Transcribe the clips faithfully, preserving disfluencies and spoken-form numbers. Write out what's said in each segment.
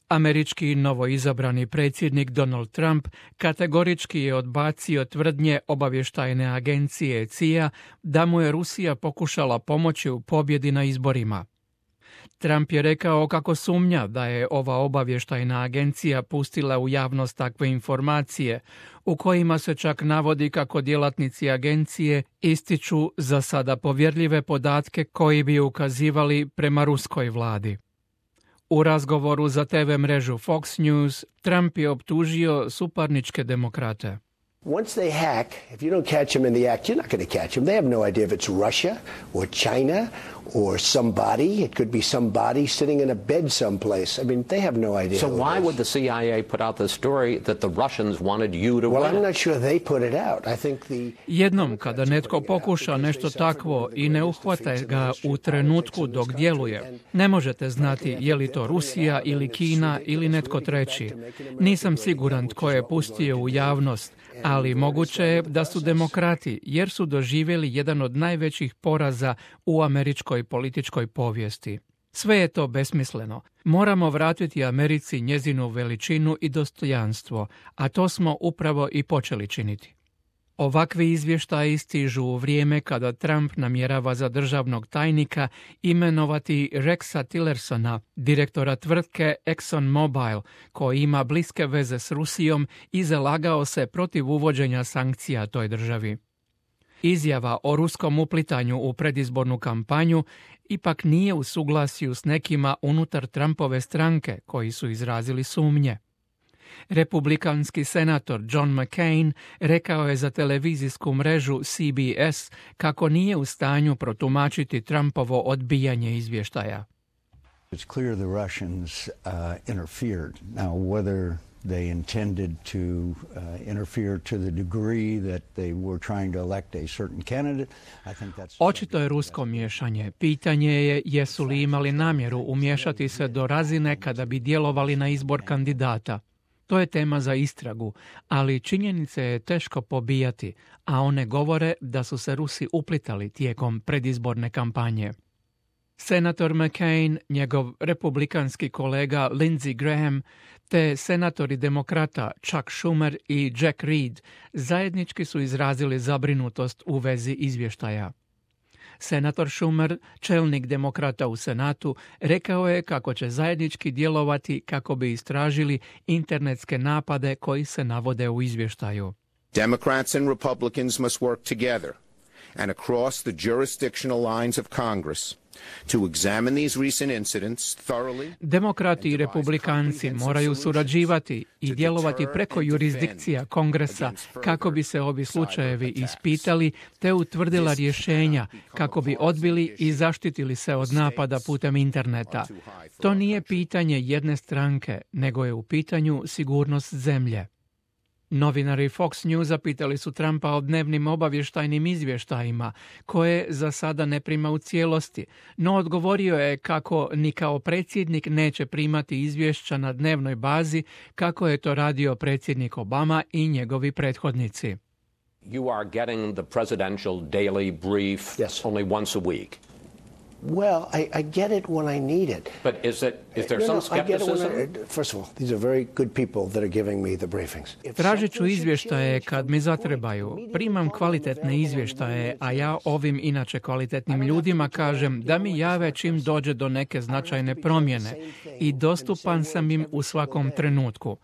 Američki novoizabrani predsjednik Donald Trump kategorički je odbacio tvrdnje obavještajne agencije C I A da mu je Rusija pokušala pomoći u pobjedi na izborima. Trump je rekao kako sumnja da je ova obavještajna agencija pustila u javnost takve informacije, u kojima se čak navodi kako djelatnici agencije ističu za sada povjerljive podatke koji bi ukazivali prema ruskoj vladi. U razgovoru za T V mrežu Fox News, Trump je optužio suparničke demokrate. Once they hack, if you don't catch them in the act, you're not going to catch them. They have no idea if it's Russia or China or somebody. It could be somebody sitting in a bed someplace. I mean, they have no idea. So why would the C I A put out the story that the Russians wanted you to Well, win? I'm not sure they put it out. I think the Jednom kada netko pokuša nešto takvo i ne uhvate ga u trenutku dok djeluje, ne možete znati je li to Rusija ili Kina ili netko treći. Nisam siguran tko je pustio u javnost, ali moguće je da su demokrati, jer su doživjeli jedan od najvećih poraza u američkoj političkoj povijesti. Sve je to besmisleno. Moramo vratiti Americi njezinu veličinu i dostojanstvo, a to smo upravo i počeli činiti. Ovakvi izvještaji stižu u vrijeme kada Trump namjerava za državnog tajnika imenovati Rexa Tillersona, direktora tvrtke ExxonMobil, koji ima bliske veze s Rusijom i zalagao se protiv uvođenja sankcija toj državi. Izjava o ruskom uplitanju u predizbornu kampanju ipak nije u suglasju s nekima unutar Trumpove stranke koji su izrazili sumnje. Republikanski senator John McCain rekao je za televizijsku mrežu C B S kako nije u stanju protumačiti Trumpovo odbijanje izvještaja. It's clear the Russians uh, interfered. Now, whether they intended to uh, interfere to the degree that they were trying to elect a certain candidate, I think that's... Očito je rusko miješanje. Pitanje je jesu li imali namjeru umiješati se do razine kada bi djelovali na izbor kandidata. To je tema za istragu, ali činjenice je teško pobijati, a one govore da su se Rusi uplitali tijekom predizborne kampanje. Senator McCain, njegov republikanski kolega Lindsey Graham, te senatori demokrata Chuck Schumer i Jack Reed zajednički su izrazili zabrinutost u vezi izvještaja. Senator Schumer, čelnik demokrata u Senatu, rekao je kako će zajednički djelovati kako bi istražili internetske napade koji se navode u izvještaju. Democrats and Republicans must work together and across the jurisdictional lines of Congress to examine these recent incidents thoroughly. Demokrati i republikanci moraju surađivati i djelovati preko jurisdikcija Kongresa kako bi se ovi slučajevi ispitali te utvrdila rješenja kako bi odbili i zaštitili se od napada putem interneta. To nije pitanje jedne stranke, nego je u pitanju sigurnost zemlje. Novinari Fox Newsa pitali su Trumpa o dnevnim obavještajnim izvještajima, koje za sada ne prima u cijelosti, no odgovorio je kako ni kao predsjednik neće primati izvješća na dnevnoj bazi kako je to radio predsjednik Obama i njegovi prethodnici. You are getting the presidential daily brief Yes. only once a week. Well, I, I get it when I need it. But is it is there No, some no, I get it when skepticism? I, first of all, these are very good people that are giving me the briefings. If Tražit ću something should izvještaje change kad from mi this point, zatrebaju. immediately Primam call me kvalitetne available izvještaje, and a ja ovim inače kvalitetnim ljudima kažem da mi jave čim dođe do neke značajne promjene i dostupan sam im u svakom trenutku.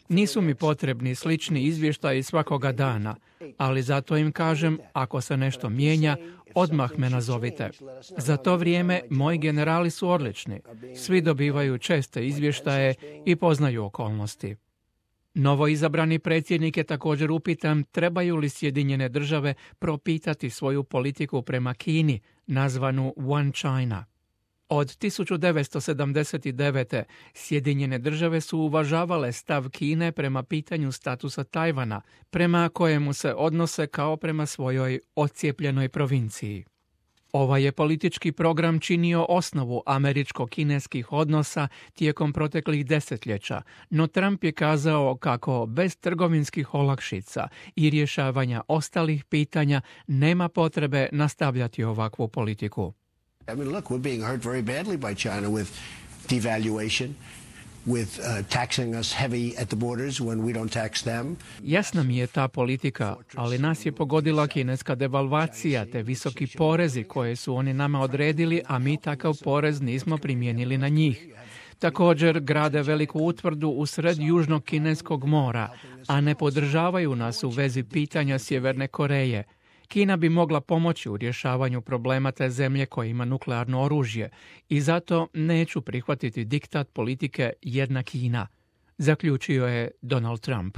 Nisu mi potrebni slični izvještaji svakoga dana, ali zato im kažem, ako se nešto mijenja, odmah me nazovite. Za to vrijeme moji generali su odlični. Svi dobivaju česte izvještaje i poznaju okolnosti. Novoizabrani predsjednik je također upitan trebaju li Sjedinjene države propitati svoju politiku prema Kini, nazvanu One China. Od tisuću devetsto sedamdeset devete. Sjedinjene države su uvažavale stav Kine prema pitanju statusa Tajvana, prema kojemu se odnose kao prema svojoj odcijepljenoj provinciji. Ovaj je politički program činio osnovu američko-kineskih odnosa tijekom proteklih desetljeća, no Trump je kazao kako bez trgovinskih olakšica i rješavanja ostalih pitanja nema potrebe nastavljati ovakvu politiku. I mean, look, we're being hurt very badly by China with devaluation, with uh, taxing us heavy at the borders when we don't tax them. Jasna mi je ta politika, ali nas je pogodila kineska devalvacija te visoki porezi koje su oni nama odredili, a mi takav porez nismo primijenili na njih. Također grade veliku utvrdu u sred Južnog kineskog mora, a ne podržavaju nas u vezi pitanja Sjeverne Koreje. Kina bi mogla pomoći u rješavanju problema te zemlje koja ima nuklearno oružje i zato neću prihvatiti diktat politike jedna Kina, zaključio je Donald Trump.